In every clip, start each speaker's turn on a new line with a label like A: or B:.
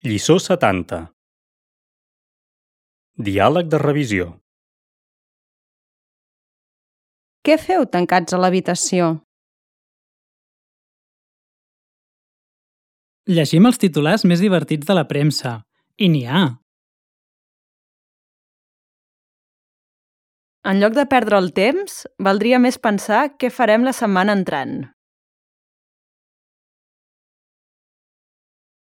A: Lliçó 70. Diàleg de revisió.
B: Què feu tancats a l'habitació?
C: Llegim els titulars més divertits de la premsa. I n'hi ha.
B: En lloc de perdre el temps, valdria més pensar què farem la setmana entrant.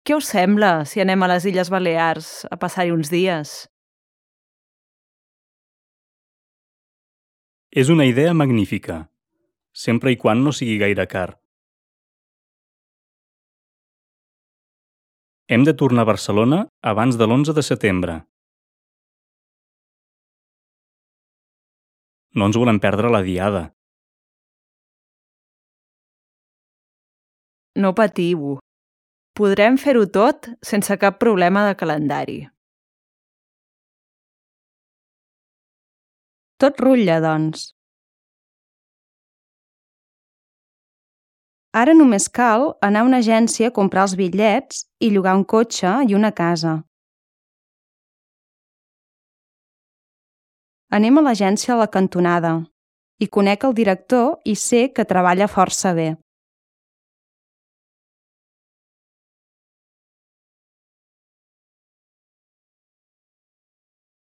B: Què us sembla si anem a les Illes Balears a passar-hi uns dies?
A: És una idea magnífica, sempre i quan no sigui gaire car. Hem de tornar a Barcelona abans de l'11 de setembre. No ens volem perdre la diada.
B: No patiu. Podrem fer-ho tot sense cap problema de calendari. Tot rutlla, doncs. Ara només cal anar a una agència a comprar els bitllets i llogar un cotxe i una casa. Anem a l'agència a la cantonada. Hi conec el director i sé que treballa força bé.